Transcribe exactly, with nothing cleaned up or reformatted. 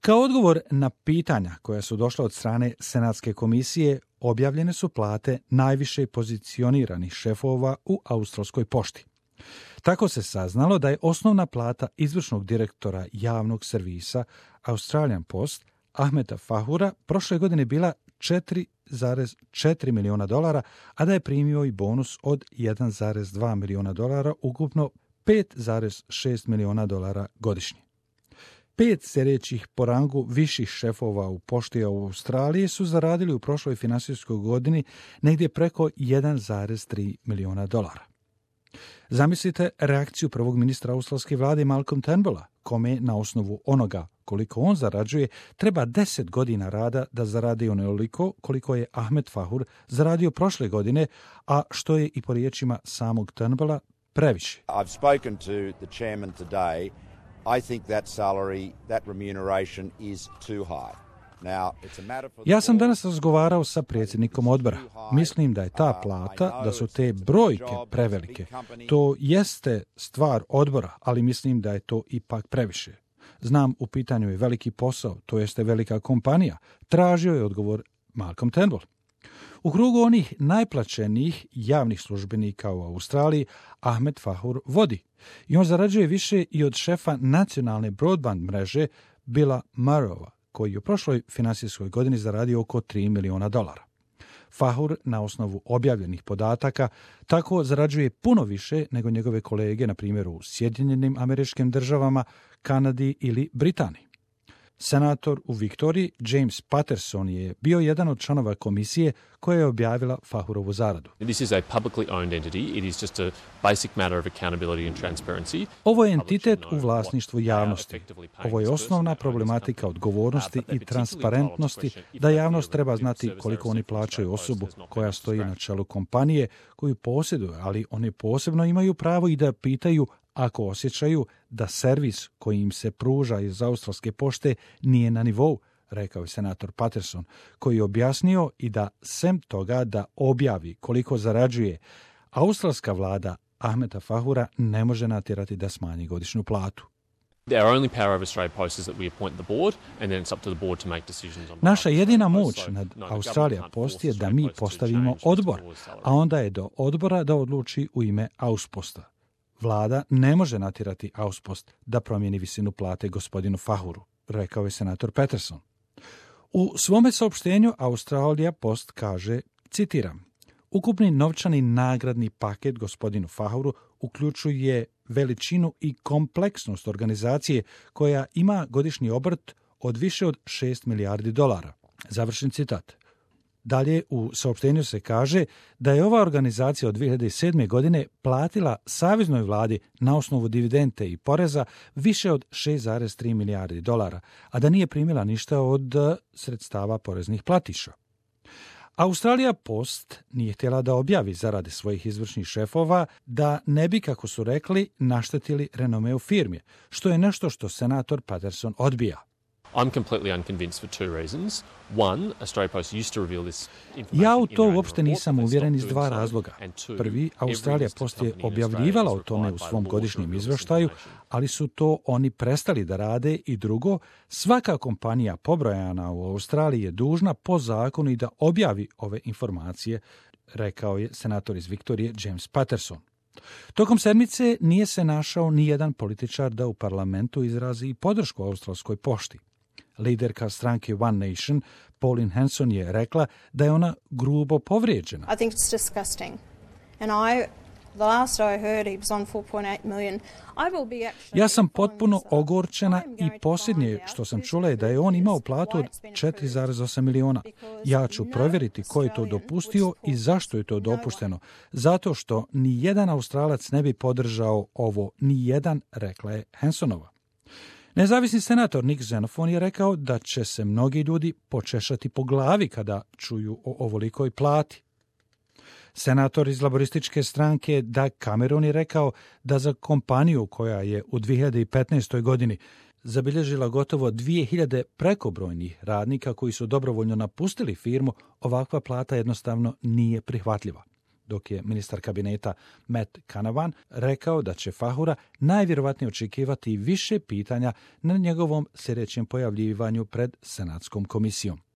Kao odgovor na pitanja koja su došla od strane Senatske komisije, objavljene su plate najviše pozicioniranih šefova u australskoj pošti. Tako se saznalo da je osnovna plata izvršnog direktora javnog servisa Australian Post, Ahmeda Fahura, prošle godine bila četiri zarez četiri miliona dolara, a da je primio i bonus od jedan zarez dva miliona dolara, ukupno pet zarez šest miliona dolara godišnje. Pet sljedećih po rangu viših šefova u pošti u Australiji su zaradili u prošloj finansijskoj godini negdje preko jedan zarez tri miliona dolara. Zamislite reakciju prvog ministra australske vlade Malcolm Turnbulla, kome na osnovu onoga koliko on zarađuje treba deset godina rada da zaradi onoliko koliko je Ahmed Fahur zaradio prošle godine, a što je i po riječima samog Turnbulla previše. I've spoken to the chairman today. I think that salary, that remuneration is too high. Ja sam danas razgovarao sa predsjednikom odbora. Mislim da je ta plata, da su te brojke prevelike. To jeste stvar odbora, ali mislim da je to ipak previše. Znam, u pitanju je veliki posao, to jeste velika kompanija. Tražio je odgovor Malcolm Turnbull. U krugu onih najplaćenijih javnih službenika u Australiji Ahmed Fahur vodi. I on zarađuje više i od šefa nacionalne broadband mreže Billa Murrowa, koji je u prošloj finansijskoj godini zaradio oko tri miliona dolara. Fahur, na osnovu objavljenih podataka, tako zarađuje puno više nego njegove kolege, na primjer u Sjedinjenim Američkim Državama, Kanadi ili Britaniji. Senator u Viktoriji James Patterson je bio jedan od članova komisije koja je objavila Fahurovu zaradu. This is a publicly owned entity. It is just a basic matter of accountability and transparency. Ovo je entitet u vlasništvu javnosti. Ovo je osnovna problematika odgovornosti i transparentnosti, da javnost treba znati koliko oni plaćaju osobu koja stoji na čelu kompanije koju posjeduje, ali oni posebno imaju pravo i da pitaju ako osjećaju da servis koji im se pruža iz australske pošte nije na nivou, rekao je senator Patterson, koji je objasnio i da sem toga da objavi koliko zarađuje, australska vlada Ahmeda Fahura ne može natjerati da smanji godišnju platu. Naša jedina moć nad Australija Post je da mi postavimo odbor, a onda je do odbora da odluči u ime Ausposta. Vlada ne može natjerati Auspost da promijeni visinu plate gospodinu Fahuru, rekao je senator Patterson. U svome saopštenju Australija Post kaže, citiram, ukupni novčani nagradni paket gospodinu Fahuru uključuje veličinu i kompleksnost organizacije koja ima godišnji obrt od više od šest milijardi dolara. Završen citat. Dalje u saopštenju se kaže da je ova organizacija od dvije hiljade sedme. godine platila saveznoj vladi na osnovu dividende i poreza više od šest zarez tri milijardi dolara, a da nije primila ništa od sredstava poreznih platiša. Australija Post nije htjela da objavi zarade svojih izvršnih šefova da ne bi, kako su rekli, naštetili renomeu firme, što je nešto što senator Patterson odbija. I'm completely unconvinced for two reasons. One, Australia Post used to reveal this information. Ja u to uopšte nisam uvjeren iz dva razloga. Prvi, Australija Post je objavljivala o tome u svom godišnjem izvještaju, ali su to oni prestali da rade, i drugo, svaka kompanija pobrojana u Australiji je dužna po zakonu i da objavi ove informacije, rekao je senator iz Viktorije James Patterson. Tokom sedmice nije se našao ni jedan političar da u parlamentu izrazi podršku australskoj pošti. Liderka stranke One Nation, Pauline Hanson, je rekla da je ona grubo povrijeđena. I think it's disgusting. And I, the last I heard he was on four point eight million. I will be actually... Ja sam potpuno ogorčena i posljednje što sam čula je da je on imao platu od četiri zarez osam miliona. Ja ću provjeriti ko je to dopustio i zašto je to dopušteno. Zato što ni jedan Australac ne bi podržao ovo, ni jedan, rekla je Hansonova. Nezavisni senator Nick Xenophon je rekao da će se mnogi ljudi počešati po glavi kada čuju o ovolikoj plati. Senator iz laborističke stranke Doug Cameron je rekao da za kompaniju koja je u dvije hiljade petnaestoj. godini zabilježila gotovo dvije hiljade prekobrojnih radnika koji su dobrovoljno napustili firmu, ovakva plata jednostavno nije prihvatljiva. dok je ministar kabineta Matt Canavan rekao da će Fahura najvjerovatnije očekivati više pitanja na njegovom sljedećem pojavljivanju pred Senatskom komisijom.